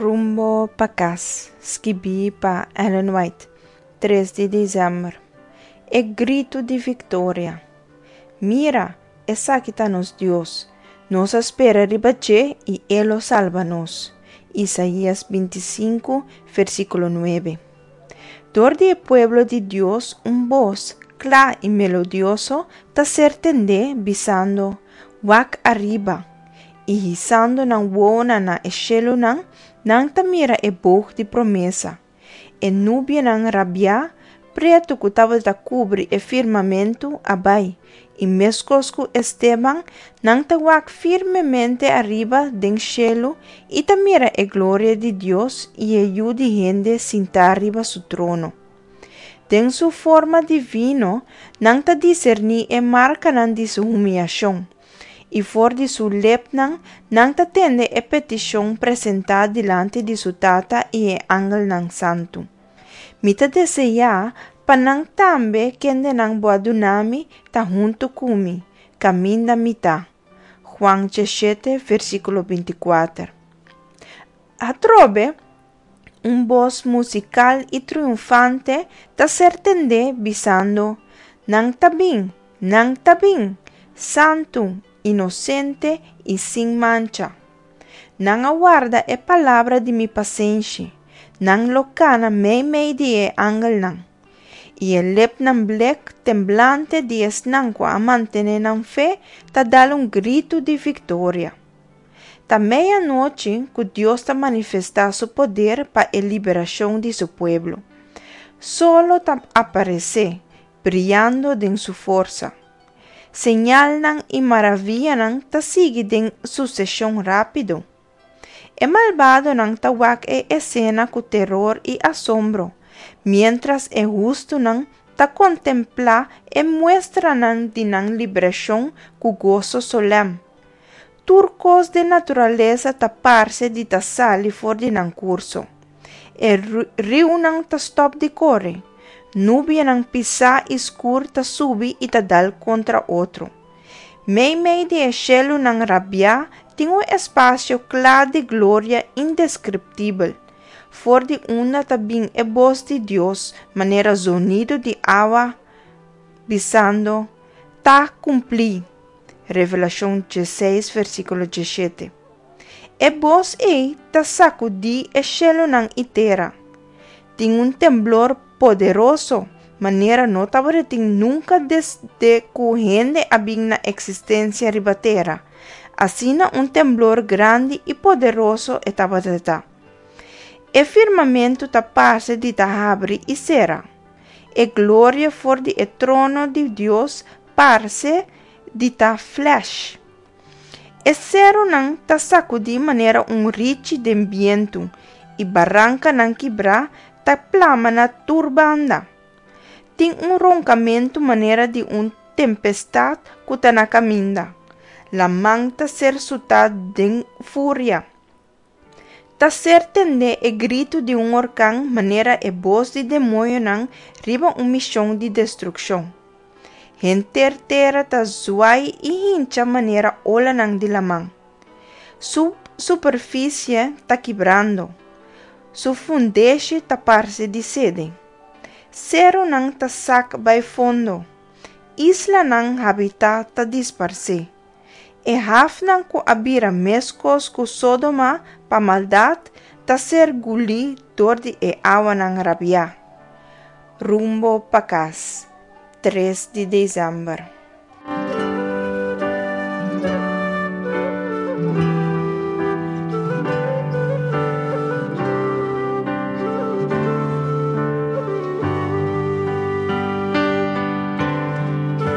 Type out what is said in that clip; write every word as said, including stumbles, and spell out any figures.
Rumbo pa kas, skibí pa Ellen White, tres di desèmber. E gritu di viktoria. Mira, esaki ta nos Dios. Nos a spera riba dje i E lo salba nos. Isaías binti sinku, versíkulo nuebe. Dor di e pueblo di Dios un bos, kla i melodioso, ta ser tendé bisando, Wak ariba! I hisando nan wowonan na e shelunan, nan ta mira e bog di promesa. E nubianan rabiá, pretu ku tabata kubri e firmamentu a bai, i meskos ku Esteban, nan ta wak firmemente ariba den shelu i ta mira e gloria di Dios i e Yu di hende sintá riba su trono. Den su forma divino, nan ta diserní e markanan di su humiashon, i for di su lepnan nan ta tende e petishon presentá dilanti di su Tata i e angelnan santu. Mi ta deseá pa nan tambe, kendenan bo a duna mi, ta huntu ku mi, kaminda mi ta. Juan diesshete, versíkulo binti kuater. Atrobe, un bos musikal i triunfante ta ser tendé bisando, Nan ta bin, nan ta bin, santu, inosente i sin mancha. Nan a warda e palabra di mi pasenshi, nan lo kana meimei di e angelnan. I e lepnan blek temblante di esnan ku a mantené nan fe ta dal un gritu di viktoria. Ta meianochi ku Dios ta manifestá su poder pa e liberashon di su pueblo. Solo ta aparesé, briando den su forsa. Señalnan i maravianan ta sigui den suseshon rápido. E malbadonan ta wak e esena ku teror i asombro, miéntras e hustunan ta kontemplá e muestranan di nan liberashon ku goso solèm. Tur kos di naturalesa ta parse di ta sali for di nan kurso. E riunan ta stòp di kore. Nubianan pisá i skur ta subi i ta dal kontra otro. Meimei di e shelunan rabiá tin un espasio kla di gloria indeskriptibel. For di unda ta bin e bos di Dios manera zonido di awa bisando, Ta kumplí. Revelashon diesseis, versíkulo diesshete. E bos ei ta sakudí e shelunan i tera. Tin un temblor poderoso, manera no tabatin nunka desde ku hende a bin na eksistensia riba tera. Asina un temblor grandi i poderoso e tabata. E firmamentu ta parse di ta habri i sera. E gloria for di e trono di Dios parse di ta flash. E serunan ta sakudí manera un richi den bientu i barankanan kibrá ta plama na tur banda. Tin un ronkamentu manera di un tempestat ku ta na kaminda. Laman ta ser sutá den furia. Ta ser tendé e gritu di un orkan manera e bos di demoñonan riba un mishon di destrukshon. Henter tera ta zwai i hincha manera olanan di laman. Su superfisie ta kibrando. Su fundeshi ta parse di sede. Serunan ta sak bai fondo. Islanan habitá ta disparsé. E hafnan ku a bira meskos ku Sodoma pa maldat ta ser gulí dor di e awanan rabiá. Rumbo pa kas, tres di desèmber.